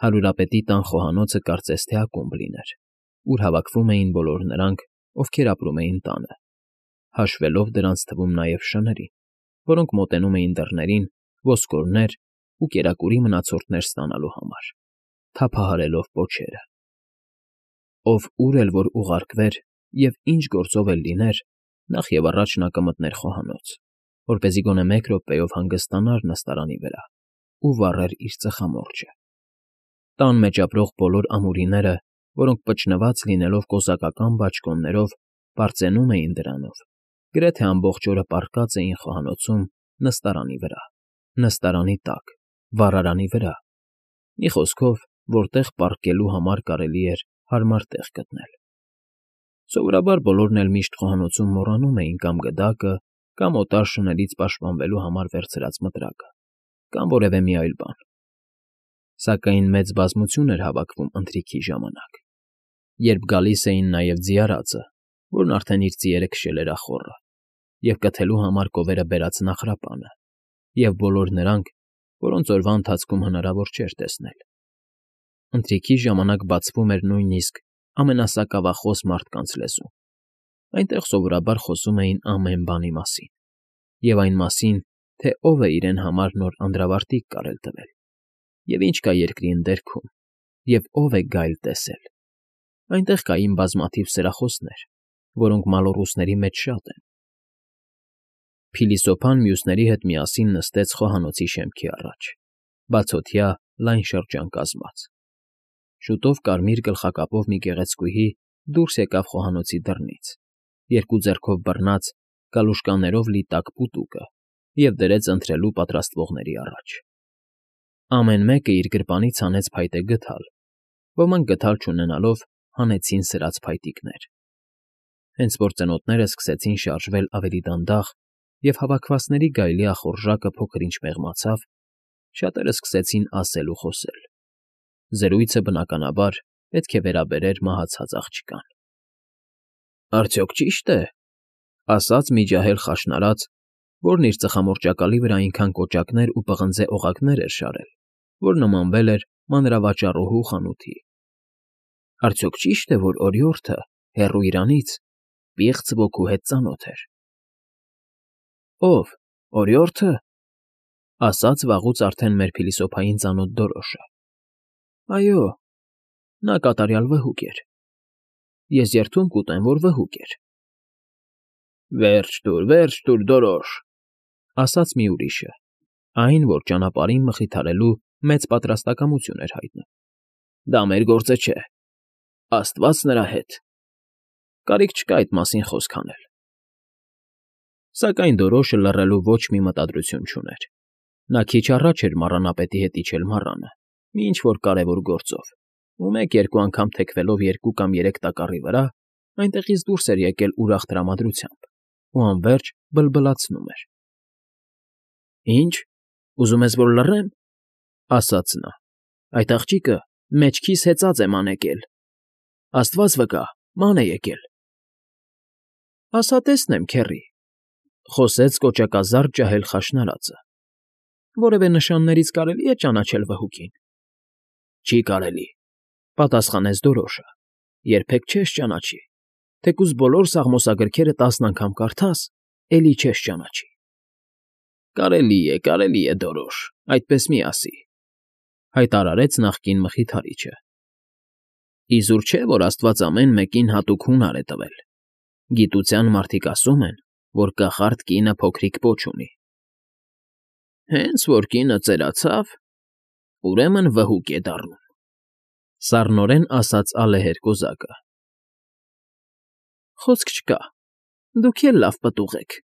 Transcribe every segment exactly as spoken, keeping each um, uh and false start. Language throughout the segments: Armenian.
Հարուրապետի տան խոհանոցը կարծես թե ակումբ լիներ, ուր հավաքվում էին բոլոր նրանք, ովքեր ապրում էին տանը, հաշվելով դրանց թվում նաև շներին, որոնք մոտենում էին դռներին ոսկորներ ու կերակուրի մնացորդներ ստանալու համար, թափահարելով պոչերը։ Ով ուր էլ որ ուղարկվեր և ինչ գործով էլ լիներ, նախ և առաջ նա կմտներ խոհանոց, որպեսզի գոնե մեկ րոպեով հանգստանար նստարանի վրա ու վառեր իր ծխամորճը։ Տան մեջ ապրող բոլոր ամուրիները, որոնք պճնված լինելով կոզակական բաճկոններով, պարծենում էին դրանով, գրեթե ամբողջ օրը պառկած էին խոհանոցում նստարանի վրա, նստարանի տակ, վառարանի վրա, մի խոսքով, որտեղ պառկելու համար կարելի էր հարմար տեղ գտնել։ Սովորաբար բոլորն էլ միշտ խոհանոցում մոռանում էին կամ գդակը, կամ օտար շներից պաշտպանվելու համար վերցրած մտրակը, կամ որևէ մի այլ բան։ Սակայն մեծ բազմություն էր հավաքվում ընթրիքի ժամանակ, երբ գալիս էին նաև ձիարածը, որն արդեն իր ձիերը քշել էր ախոռը, և կթելու համար կովերը բերած նախրապանը, և բոլոր նրանք, որոնց օրվա ընթացքում հնարավոր չէր տեսնել։ Ընթրիքի ժամանակ բացվում էր նույնիսկ ամենասակավախոս մարդկանց լեզուն, այնտեղ սովորաբար խոսում էին ամեն բանի մասին, և այն մասին, թե ով է իրեն համար նոր անդրավարտիք կարել տվել, և ինչ կա երկրի ընդերքում, և ով է գայլ տեսել։ Այնտեղ կային բազմաթիվ սրախոսներ, որոնք մալոռուսների մեջ շատ են։ Փիլիսոփան մյուսների հետ միասին նստեց խոհանոցի շեմքի առաջ, բացօթյա լայն շրջան կազմած։ Շուտով կարմիր գլխակապով մի գեղեցկուհի դուրս եկավ խոհանոցի դռնից, երկու ձեռքով բռնած գալուշկաներով լի տաք պուտուկը և դրեց ընթրելու պատրաստվողների առաջ։ Ամեն մեկը իր գրպանից հանեց փայտե գդալ, ոմանք գդալ չունենալով հանեցին սրած փայտիկներ։ Հենց որ ծնոտները սկսեցին շարժվել ավելի դանդաղ և հավաքվածների գայլի ախորժակը փոքր֊ինչ մեղմացավ, շատերը սկսեցին ասել ու խոսել։ Զրույցը, բնականաբար, պետք է վերաբերեր մահացած աղջկան։ Արդյոք ճի՞շտ է,֊ ասաց մի ջահել խաշնարած, որն իր ծխամորճակալի վրա այնքան կոճակներ ու պղնձե օղակներ էր շարել, որ նմանվել էր մանրավաճառուհու խանութի։ Արդյոք ճի՞շտ է, որ օրիորդը, հեռու իրանից, պիղծ ոգու հետ ծանոթ էր։ Ո՞վ, օրիորդը,֊ ասաց վաղուց արդեն մեր փիլիսոփային ծանոթ Դորոշը։ Այո, նա կատարյալ վհուկ էր։ Ես երդում կուտեմ, որ վհուկ էր։ Վերջ տուր, վերջ տուր, Դորոշ,֊ ասաց մի ուրիշը, այն, որ ճանապարհին մխիթարելու մեծ պատրաստակամություն էր հայտնում։ Դա մեր գործը չէ։ Աստված նրա հետ։ Կարիք չկա այդ մասին խոսք անել։ Սակայն Դորոշը լռելու ոչ մի մտադրություն չուներ։ Նա քիչ առաջ էր մառանապետի հետ իջել մառանը, մի ինչ֊որ կարևոր գործով, ու մեկ֊երկու անգամ թեքվելով երկու կամ երեք տակառի վրա, այնտեղից դուրս էր եկել ուրախ տրամադրությամբ ու անվերջ բլբլացնում էր։ Ի՞նչ, ուզում ես, որ լռեմ,֊ ասաց նա, այդ աղջիկը մեջքիս հեծած է ման եկել։ Աստված վկա, ման է եկել։ Ասա տեսնեմ, քեռի,֊ խոսեց կոճակազարդ ջահել խաշնարածը։ Որևէ նշաններից կարելի է ճանաչել վհուկին։ Չի կարելի,֊ պատասխանեց Դորոշը, երբեք չես ճանաչի, թեկուզ բոլոր սաղմոսագրքերը տասն անգամ կարդաս, էլի չես ճանաչի։ Կարելի է, կարելի է, Դորոշ, այդպես մի ասի,֊ հայտարարեց նախկին մխիթարիչը։ Իզուր չէ, որ աստված ամեն մեկին հատուկ հունար է տվել։ Գիտության մարդիկ ասում են, որ կախարդ կինը փոքրիկ պոչ ունի։ Հենց որ կինը ծերացավ, ուրեմն վհուկ է դառնում,֊ սառնորեն ասաց ալեհեր կոզակը։ Խոսք չկա, դուք էլ լավ պտուղ եք,֊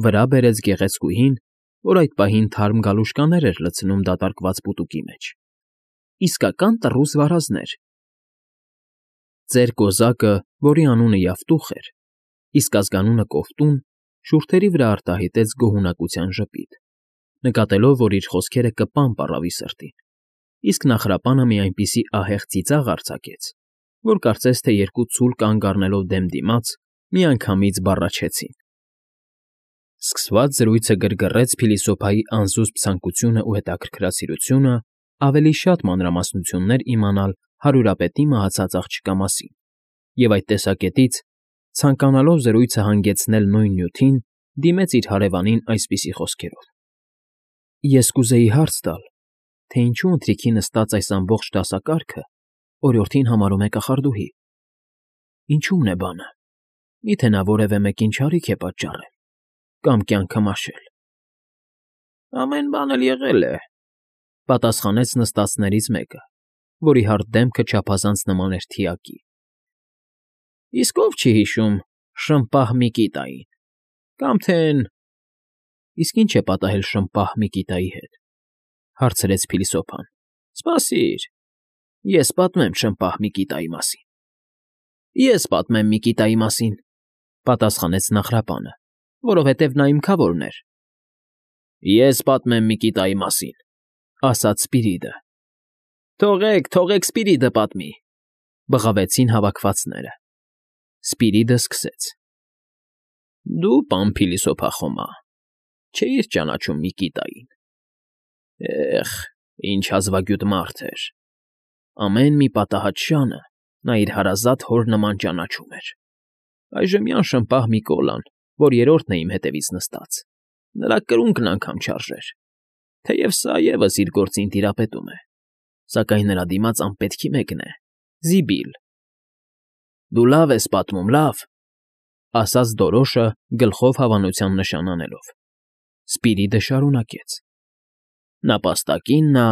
վրա բերեց գեղեցկուհին, որ այդ պահին թարմ գալուշկաներ էր լցնում դատարկված պուտուկի մեջ։ Իսկական տռուս վարազներ։ Ծեր կոզակը, որի անունը Յավտուխ էր, իսկ ազգանունը Կովտուն, շուրթերի վրա արտահայտեց գոհունակության ժպիտ, նկատելով, որ իր խոսքերը կպան պառավի սրտին, իսկ նախրապանը մի այնպիսի ահեղ ծիծաղ արձակեց, որ կարծես թե երկու ցուլ կանգ առնելով դեմ դիմաց, միանգամից բառաչեցին։ Սկսված զրույցը գրգռեց փիլիսոփայի անզուսպ ցանկությունն ու հետաքրքրասիրությունը ավելի շատ մանրամասնություններ իմանալ հարյուրապետի մահացած աղջկա մասին և այդ տեսակետից, ցանկանալով զրույցը հանգեցնել նույն նյութին, դիմեց իր հարևանին այսպիսի խոսքերով. «Ես կուզեի հարց տալ, թե ինչու ընթրիքի նստած այս ամբողջ դասակարգը օրիորդին համարում է կախարդուհի. ինչո՞ւմն է բանը, մի՞թե նա որևէ մեկին չարիք է պատճառել կամ կյանքը մաշել»։ «Ամեն բան էլ եղել է,֊ պատասխանեց նստածներից մեկը, որի հարթ դեմքը չափազանց նման էր թիակի։֊ Իսկ ով չի հիշում Շմպահ Միկիտային, կամ թե… Իսկ ի՞նչ է պատահել Շմպահ Միկիտայի հետ,֊ հարցրեց փիլիսոփան։ Սպասիր, ես պատմեմ Շմպահ Միկիտայի մասին։ Ես պատմեմ Միկիտայի մասին,֊ պատասխանեց Նախրապանը, որովհետև նա իմ քավորն էր։ Ես պատմեմ Միկիտայի մասին,֊ ասաց Սպիրիդը։ Թողեք, թողեք Սպիրիդը պատմի,֊ բղավեցին հավաքվածները։ Սպիրիդը սկսեց. Դու, պան փիլիսոփախոմա, չէիր ճանաչում Միկիտային։ Էխ, ինչ հազվագյուտ մարդ էր։ Ամեն մի պատահած շանը նա իր հարազատ հոր նման ճանաչում էր։ Այժմյան Շմպահ Միկոլան, որ երրորդն է իմ հետևից նստած, նրա կրունկն անգամ չարժեր, թեև սա ևս իր գործին տիրապետում է, սակայն նրա դիմաց անպետքի մեկն է՝ Զիբիլ։ Դու լավ ես պատմում, լավ,֊ ասաց Դորոշը գլխով հավանության նշան անելով։ Սպիրիդը շարունակեց. Նապաստակին նա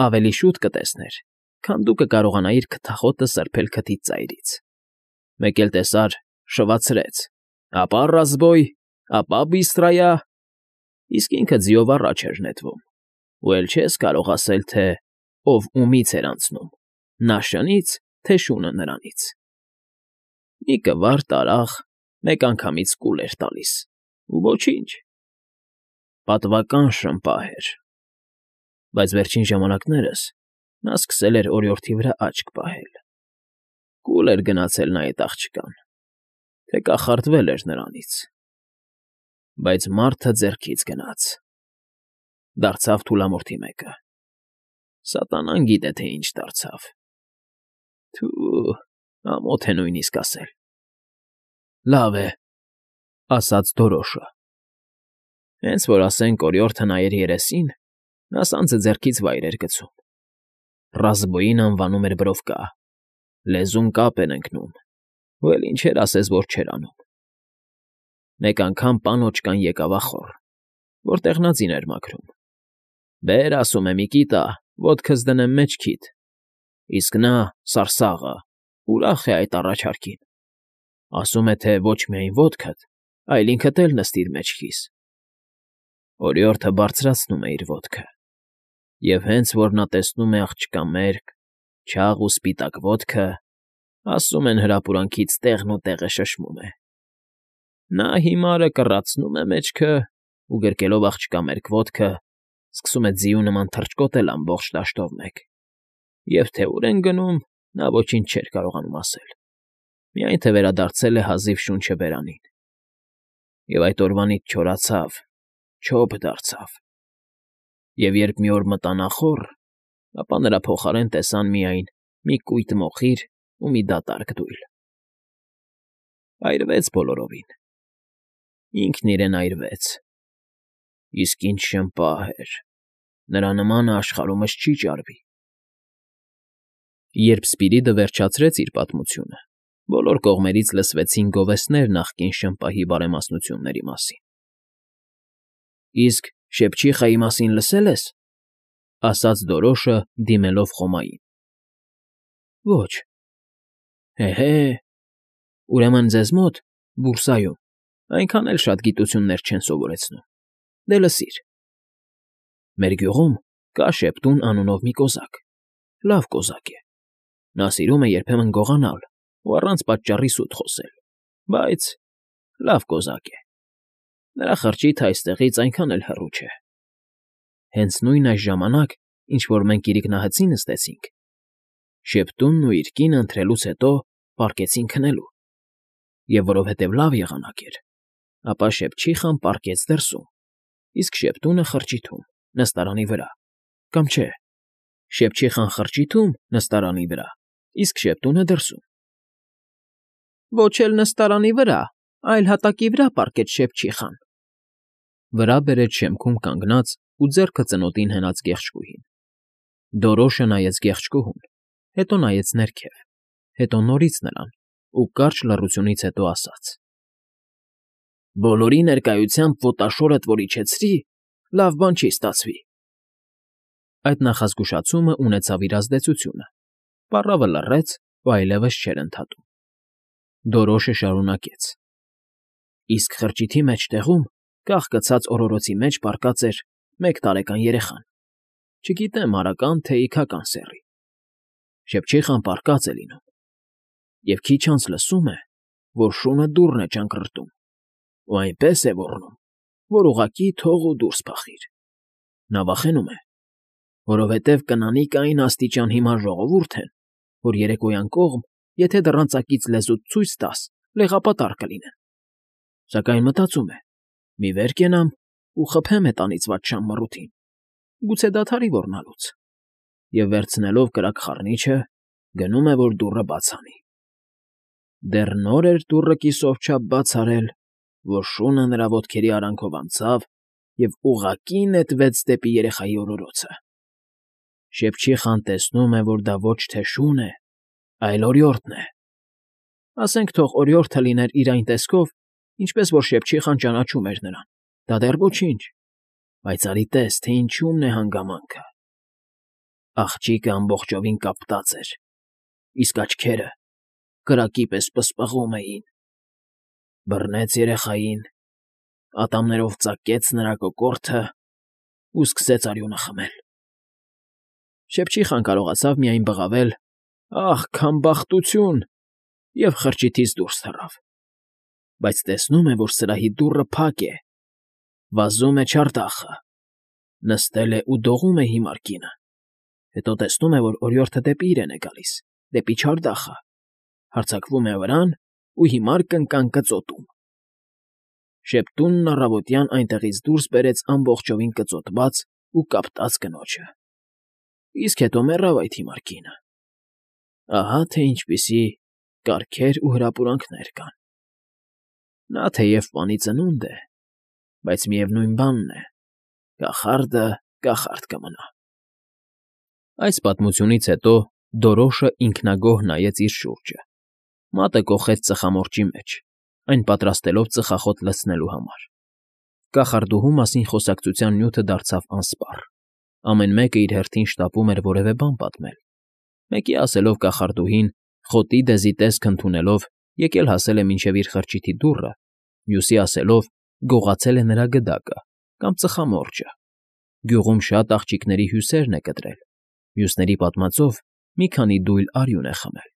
ավելի շուտ կտեսներ, քան դու կկարողանայիր քթախոտը սրբել քթից ծայրից։ Մեկ էլ տեսար, շվացրեց, ապա ռազբոյ, ապա բիստրայա, իսկ ինքը ձիով առաջ էր նետվում, ու էլ չես կարող ասել, թե ով ումից էր անցնում, նա շնից, թե շունը նրանից։ Մի կվար տարաղ մեկ անգամից կուլ էր տալիս, ու ոչինչ։ Պատվական Շմպահ էր։ Բայց վերջին ժամանակներս նա սկսել էր օրիորդի վրա աչք պահել։ Կուլ էր գնացել նա էդ աղջկան, թե կախարդվել էր նրանից։ Բայց մարդը ձեռքից գնաց, դարձավ թուլամորթի մեկը։ Սատանան գիտե, թե ինչ դարձավ։ Թու, ամոթ է նույնիսկ ասել։ Լավ է,֊ ասաց Դորոշը։ Հենց որ ասենք օրիորդը նայեր երեսին, նա սանձը ձեռքից վայր էր գցում։ Ռազբոյին անվանում էր Բրովկա, լեզուն կապ էր ընկնում, ու էլ ինչեր ասես, որ չէր անում։ Մեկ անգամ պան օճկան եկավ ախոռ, որտեղ նա ձին էր մաքրում։ Բեր, ասում է, Միկիտա, ոտքս դնեմ մեջքիդ, իսկ նա, սարսաղը, ուրախ է այդ առաջարկին։ Ասում է, թե ոչ միայն ոտքդ, այլ ինքդ էլ նստիր մեջքիս։ Օրիորդը բարձրացնում է իր ոտքը, և հենց որ նա տեսնում է աղջկա մերկ, չաղ ու սպիտակ ոտքը, ասում են հրապուրանքից տեղն ու տեղը շշմում է։ Նա հիմարը կռացնում է մեջքը ու գրկելով աղջկա մերկ ոտքը, սկսում է ձիու նման թռչկոտել ամբողջ դաշտով մեկ, և թե ուր են գնում, նա ոչինչ չէր կարողանում ասել, միայն թե վերադարձել է հազիվ շունչը բերանին։ Եվ այդ օրվանից չորացավ, չոփ դարձավ։ Եվ երբ մի օր մտան ախոռ, ապա նրա փոխարեն տեսան միայն մի կույտ մոխիր ու մի դատարկ դույլ։ Այրվեց բոլորովին։ Ինքն իրեն այրվեց։ Իսկ ինչ Շմպահ էր, նրա նմանը աշխարհումս չի ճարվի։ Երբ Սպիրիդը վերջացրեց իր պատմությունը, բոլոր կողմերից լսվեցին գովեստներ նախկին Շմպահի բարեմասնությունների մասին։ Իսկ Շեպչիխայի մասին լսե՞լ ես,֊ ասաց Դորոշը, դիմելով Խոմային։ Ոչ։ Հե՛֊հե՛, ուրեմն ձեզ մոտ, բուրսայում, այնքան էլ շատ գիտություններ չեն սովորեցնում։ Դե լսիր։ Մեր գյուղում կա Շեպտուն անունով մի կոզակ, լավ կոզակ է։ Նա սիրում է երբեմն գողանալ ու առանց պատճառի սուտ խոսել, բայց լավ կոզակ է։ Նրա խրճիթը այստեղից այնքան էլ հեռու չէ։ Հենց նույն այս ժամանակ, ինչ որ մենք իրիկնահծի նստեցինք, Շեպտունն ու իր կինը ընթրելուց հետո պառկեցին քնելու, և որովհետև լավ եղանակ էր, ապա Շեպչիխան պառկեց դրսում, իսկ Շեպտունը խրճիթում, նստարանի վրա, կամ չէ, Շեպչիխան խրճիթում նստարանի վրա, իսկ Շեպտունը դրսում։ ֊ Ոչ էլ նստարանի վրա, այլ հատակի վրա պառկեց Շեպչիխան,֊ վրա բերեց շեմքում կանգնած ու ձեռքը ծնոտին հենած գեղեցկուհին։ Դորոշը նայեց գեղեցկուհուն, հետո նայեց ներքև, հետո նորից նրան ու կարճ լռությունից հետո ասաց. «Բոլորի ներկայությամբ ոտաշորդ որ իջեցրի, լավ բան չի ստացվի»։ Այդ նախազգուշացումը ունեցավ իր ազդեցությունը. պառավը լռեց ու այլևս չէր ընդհատում։ Դորոշը շարունակեց. «Իսկ խրճիթի մեջտեղում, կախկցած օրորոցի մեջ պառկած էր մեկ տարեկան երեխան, չգիտեմ արական, թե իգական սեռի։ Շեպչիխան պառկած է լինում, և քիչ անց լսում է, որ շունը դուռն է ճանկռտում ու այնպես է ոռնում, որ ուղղակի թող ու դուրս փախիր։ Նա վախենում է, որովհետև կնանիք այն աստիճան հիմար ժողովուրդ են, որ երեկոյան կողմ, եթե դռան ծակից լեզուդ ցույց տաս, լեղապատառ կլինեն։ Սակայն մտածում է. մի վեր կենամ ու խփեմ հետանից վատշամ մռութին, գուցե դադարի ոռնալուց, և վերցնելով կրակ խառնիչը, գնում է, որ դուռը բաց անի։ Դեռ նոր էր դուռը կիսով չափ բաց արել, որ շունը նրա ոտքերի արանքով անցավ և ուղղակի նետվեց դեպի երեխայի օրորոցը։ Շեպչիխան տեսնում է, որ դա ոչ թե շուն է, այլ օրիորդն է։ Ասենք թող օրիորդը լիներ իր այն տեսքով, ինչպես որ Շեպչիխան ճանաչում էր նրան, դա դեռ ոչինչ, բայց արի տես, թե ինչումն է հանգամանքը։ Աղջիկը ամբողջովին կապտած էր, իսկ աչքերը կրակի պես պսպղում էին։ Բռնեց երեխային, ատամներով ծակեց նրա կոկորդն ու սկսեց արյունը խմել։ Շեպչիխան կարողացավ միայն բղավել. «Ախ, քամբախտություն» և խրճիթից դուրս թռավ։ Բայց տեսնում է, որ սրահի դուռը փակ է, վազում է չարդախը, նստել է ու դողում է հիմար կինը, հետո տեսնում է, որ օրիորդը դեպի իրեն է գալիս, դեպի չարդախը, հարձակվում է վրան ու հիմար կնկան կծոտում։ Շեպտունն առավոտյան այնտեղից դուրս բերեց ամբողջովին կծոտված ու կապտած կնոջը, իսկ հետո մեռավ այդ հիմար կինը։ Ահա թե ինչպիսի կարգեր ու հրապուրանքներ կան։ Նա թեև պանի ծնունդ է, բայց միևնույն բանն է, կախարդը կախարդ կմնա։ Այս պատմությունից հետո Դորոշը ինքնագոհ նայեց իր շուրջը։ Մատը կոխեց ծխամորճի մեջ, այն պատրաստելով ծխախոտ լցնելու համար։ Կախարդուհու մասին խոսակցության նյութը դարձավ անսպառ։ Ամեն մեկը իր հերթին շտապում էր որևէ բան պատմել։ Մեկի ասելով կախարդուհին, խոտի դեզի տեսք ընդունելով, եկել հասել է մինչև իր խրճիթի դուռը, մյուսի ասելով, գողացել է նրա գդակը կամ ծխամորճը, գյուղում շատ աղջիկների հյուսերն է կտրել, մյուսների պատմածով մի քանի դույլ արյուն է խմել։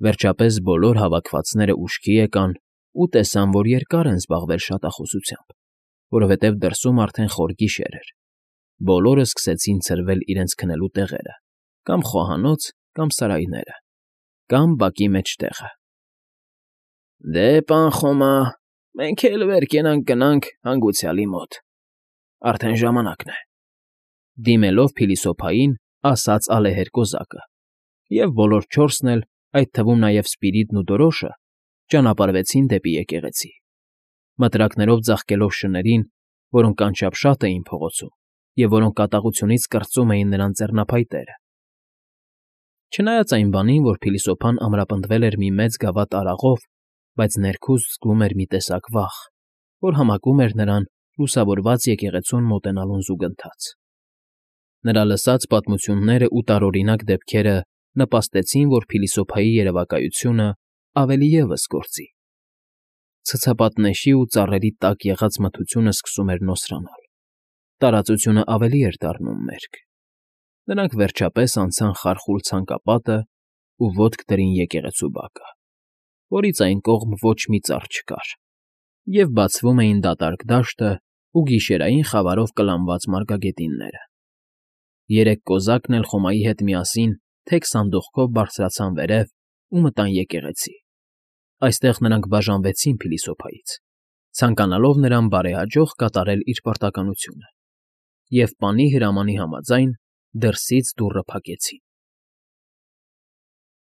Վերջապես բոլոր հավաքվածները ուշքի եկան ու տեսան, որ երկար են զբաղվել շատախոսությամբ, որովհետև դրսում արդեն խոր գիշեր էր։ Բոլորը սկսեցին ցրվել իրենց քնելու տեղերը, կամ խոհանոց, կամ սարայները, կամ բակի մեջտեղը։ «Դե, պան Խոմա, մենք էլ վեր կենանք գնանք հանգուցյալի մոտ, արդեն ժամանակն է», դիմելով փիլիսոփային, ասաց ալեհեր կոզակը, և բոլոր չորսն էլ, այդ թվում նաև Սպիրիդն ու Դորոշը, ճանապարհվեցին դեպի եկեղեցի, մտրակներով ձաղկելով շներին, որոնք անչափ շատ էին փողոցում և որոնք կատաղությունից կրծում էին նրանց ձեռնափայտերը։ Չնայած այն բանին, որ փիլիսոփան ամրապնդվել էր մի մեծ գավաթ արաղով, բայց ներքուստ զգում էր մի տեսակ վախ, որ համակում էր նրան լուսավորված եկեղեցուն մոտենալուն զուգընթաց։ Նրա լսած պատմություններն ու տարօրինակ դեպքերը նպաստեցին, որ փիլիսոփայի երևակայությունը ավելի ևս գործի։ Ցցապատնեշի ու ծառերի տակ եղած մթությունը սկսում էր նոսրանալ, տարածությունը ավելի էր դառնում մերկ։ Նրանք վերջապես անցան խարխուլ ցանկապատն ու ոտք դրին եկեղեցու բակը, որից այն կողմ ոչ մի ծառ չկար, և բացվում էին դատարկ դաշտը ու գիշերային խավարով կլանված մարգագետինները։ Երեք կոզակն էլ Խոմայի հետ միասին թեք սանդուղքով բարձրացան վերև ու մտան եկեղեցի։ Այստեղ նրանք բաժանվեցին փիլիսոփայից, ցանկանալով նրան բարեհաջող կատարել իր պարտականությունը, և պանի հրամանի համաձայն Դրսից դուռը փակեցին։